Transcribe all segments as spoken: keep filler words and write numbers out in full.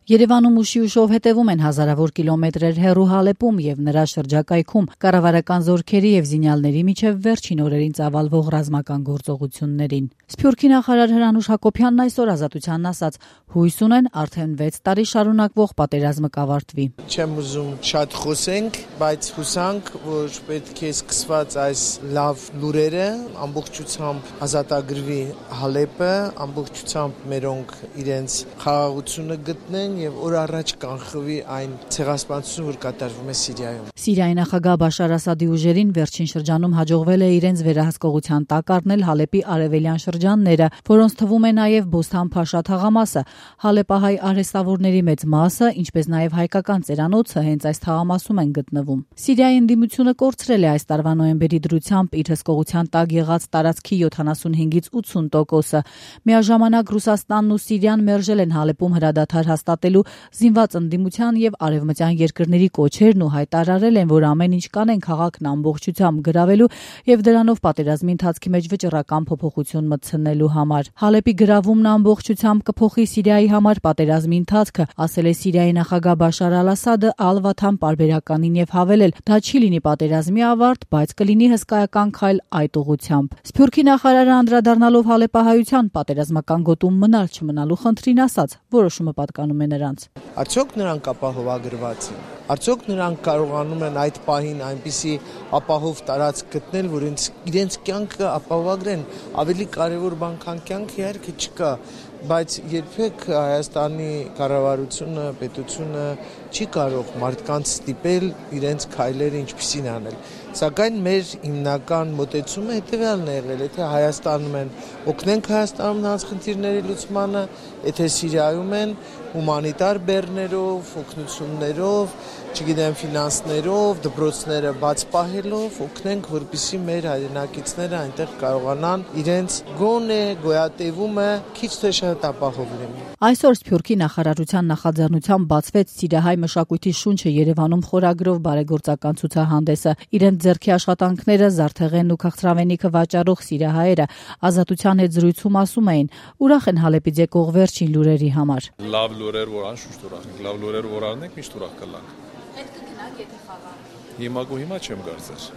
Երևանում ուշի ուշով հետևում են հազարավոր կիլոմետրեր հեռու Հալեպում եւ նրա շրջակայքում կառավարական զորքերի եւ զինյալների միջև վերջին օրերին ծավալվող ռազմական գործողություններին։ Սփյուռքի նախարար Հրանուշ Հակոբյանն այսօր Ազատությանն ասաց, հույս ունեն արդեն վեց տարի շարունակվող պատերազմը կավարտվի։ Չեմ ուզում շատ խոսենք, բայց հուսանք, որ պետք է սկսված այս լավ լուրերը ամբողջությամբ ազատագրվի Հալեպը, ամբողջությամբ մերոնք իրենց խաղաղությունը գտնեն եւ օր առաջ կանխվի այն ցեղասպանությունը, որ կատարվում է Սիրիայում։ Սիրիայի նախագահ Բաշար Ասադի ուժերին վերջին շրջանում հաջողվել է իրենց վերահսկողության տակ առնել Հալեպի արևելյան շրջանները, որոնց թվում է նաեւ Բոստան-Փաշա թաղամասը։ Հալեպահայ արհեստավորների մեծ մասը, ինչպես նաեւ հայկական ծերանոցը հենց այս թաղամասում են գտնվում։ Սիրիայի ընդդիմությունը կորցրել է այս տարվա նոյեմբերի դրությամբ իր հսկողության տակ եղած տարածքի յոթանասունհինգից ութսուն տոկոսը։ Միաժամանակ Ռուսաստանն ու Սիրիան մերժել են Հալեպում հրադադար հաստատելու զինված ընդդիմության եւ արևմտյան երկրների կոչերն ու հայտարարել են, որ ամեն ինչ կանեն քաղաքն ամբողջությամբ գրավելու եւ դրանով պատերազմի ընթացքի մեջ վճռական փոփոխություն մտցնելու համար։ Հալեպի գրավումն ամբողջությամբ կփոխի Սիրիայի համար պատերազմի ընթացքը, ասել է Սիրիայի նախագահ Բաշար Ալ-Ասադը Ալ-Վաթան պարբերականին եւ հավելել, դա չի լինի պատերազմի ավարտ, բայց կլինի հսկայական քայլ այդ ուղղությամբ։ Սփյուռքի նախարարը անդրադառնալով հալեպահայության պատերազմական գոտում մնալ չմնալու խնդրին ասաց, որոշումը պատկանում է նրանց։ Արդյոք նրանք ապահովագրված են։ Արդյոք նրանք կարողանում են այդ պահին այնպիսի ապահով տարածք գտնել, որ իրենց կյանքը ապահովագրեն։ Ավելի կարևոր բան քան կյանքը իհարկե չկա, բայց երբեք Հայաստանի կառավարությունը, պետությունը չի կարող մարդկանց ստիպել իրենց քայլերը ինչպիսին անել։ Սակայն մեր հիմնական մոտեցումը հետևյալն է եղել, եթե Հայաստանում են օգնենք Հայաստանում նրանց խնդիրների լուծմանը, եթե Սիրիայում են հումանիտար բեռներով, օգնություններով, չգիտեմ, ֆինանսներով, դպրոցները բաց պահելով օգնենք, որպեսզի մեր հայրենակիցները այնտեղ կարողանան իրենց գոնե գոյատևումը քիչ թե շատ ապահով լինի։ Այսօր Սփյուռքի նախարարության նախաձեռնությամբ բացվեց Սիրիահայ մշակույթի շունչը Երևանում խորագրով բարեգործական ցուցահանդեսը։ Իրենց ձեռքի աշխատանքները Զարթեղենն ու Քաղցրավենիքը վաճառող սիրիահայերը Ազատության հետ զրույցում ասում էին, ուրախ են Հալեպից եկող վերջին լուրերի համար։ Լավ լուրեր, որ անշուշտ ուրախ ենք, լավ լուրեր, որ առնենք, միշտ ուրախ կլանք։ Հետ կգնաք, եթե խաղա։ Հիմա գո հիմա չեմ կարծեր։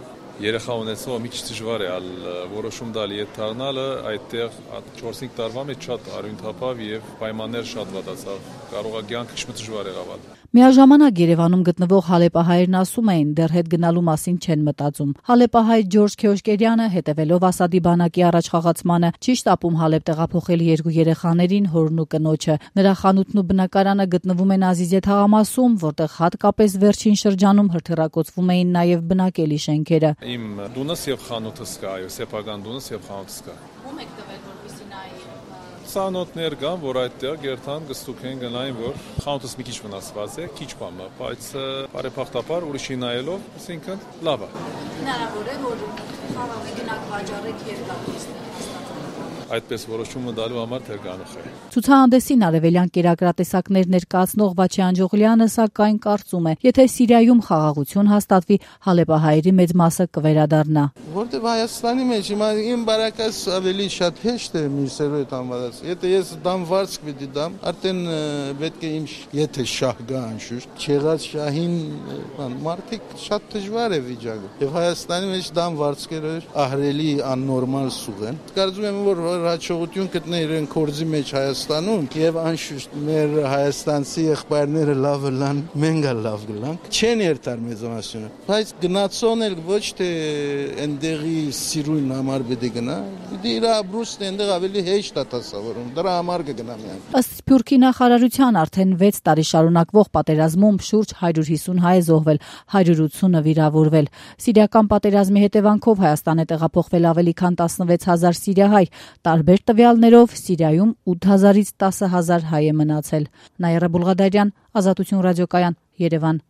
Երեխա ունեցող մի քիչ դժվար է ալ որոշում տալ իդ դառնալը, այդտեղ չորս-հինգ տարվա մեջ շատ արյունթափավ եւ պայմաններ շատ վատացավ։ Կարող է կյանքը քիչ դժվար եղավ։ Միաժամանակ Երևանում գտնվող հալեպահայերն ասում էին, դեռ հետ գնալու մասին չեն մտածում։ Հալեպահայ Ջորջ Քեոշկերյանը, հետևելով Ասադի բանակի առաջխաղացմանը, չի շտապում Հալեպ տեղափոխել երկու երեխաներին, հորն ու կնոջը։ Նրա խանութն ու բնակարանը գտնվում են Ազիզե թաղամասում, որտեղ հատկապես վերջին շրջանում հրթիռակոծվում էին նաև բնակելի շենքերը։ Իմ դունս եւ խանութս կա, այո, սեփական դունս եւ խանութս կա։ Ո՞ւմ եք տվել, որպեսզի նայի Ցանոթներ կան, որ այդտեղ գերտան գստուք են գնային, որ խանութս մի քիչ վնասված է, քիչ բան է, բայց բարեփոխտապար ուրիշի նայելով, այսինքն լավ է։ Հնարավոր է, որ խաղաղի գնաք վաճառեք եւ գալիս այդպես որոշումը դալու համար թերգանուխ է։ Ցուցահանդեսին արևելյան կերակրատեսակներ ներկայացնող Վաչե Անջողլյանը սակայն կարծում է, եթե Սիրիայում խաղաղություն հաստատվի, հալեպահայերի մեծ մասը կվերադառնա։ Որտեւ Հայաստանի մեջ հիմա իմ բարակաս ավելի շատ հեշտ է միսերու հետ անվադած։ Եթե ես դամ վարձք պիտի դամ, արդեն պետք է իմ եթե շահ գա անշուշտ, չեղած շահին բան, մարդիկ շատ դժվար է վիճակը։ Եվ Հայաստանի մեջ դամ վարձքերը ահրելի աննորմալ սուղ են։ Կարծում եմ, որ հաջողություն գտնել իրեն կորձի մեջ Հայաստանում եւ անշուշտ մեր հայաստանցի եղբայրները լավ լան, մենք լավ գլանք, չեն երթար մեծամասնությունը, բայց գնացոն էլ ոչ թե այնտեղի սիրուն համար պետք է գնա, դե իր ապրուստը այնտեղ ավելի հեշտ է դասավորում, դրա համար կգնա միայն։ Ըստ Սփյուռքի նախարարության արդեն վեց տարի շարունակվող պատերազմում շուրջ հարյուր հիսուն հայ է զոհվել, հարյուր ութսունը վիրավորվել։ Սիրիական պատերազմի հետևանքով Հայաստան է տեղափոխվել ավելի քան տասնվեց հազար սիրիահայ։ Տարբեր տվյալներով Սիրիայում ութ հազարից տասը հազար հայ է մնացել։ Նաիրա Բուլղադարյան, Ազատություն ռադիոկայան, Երևան։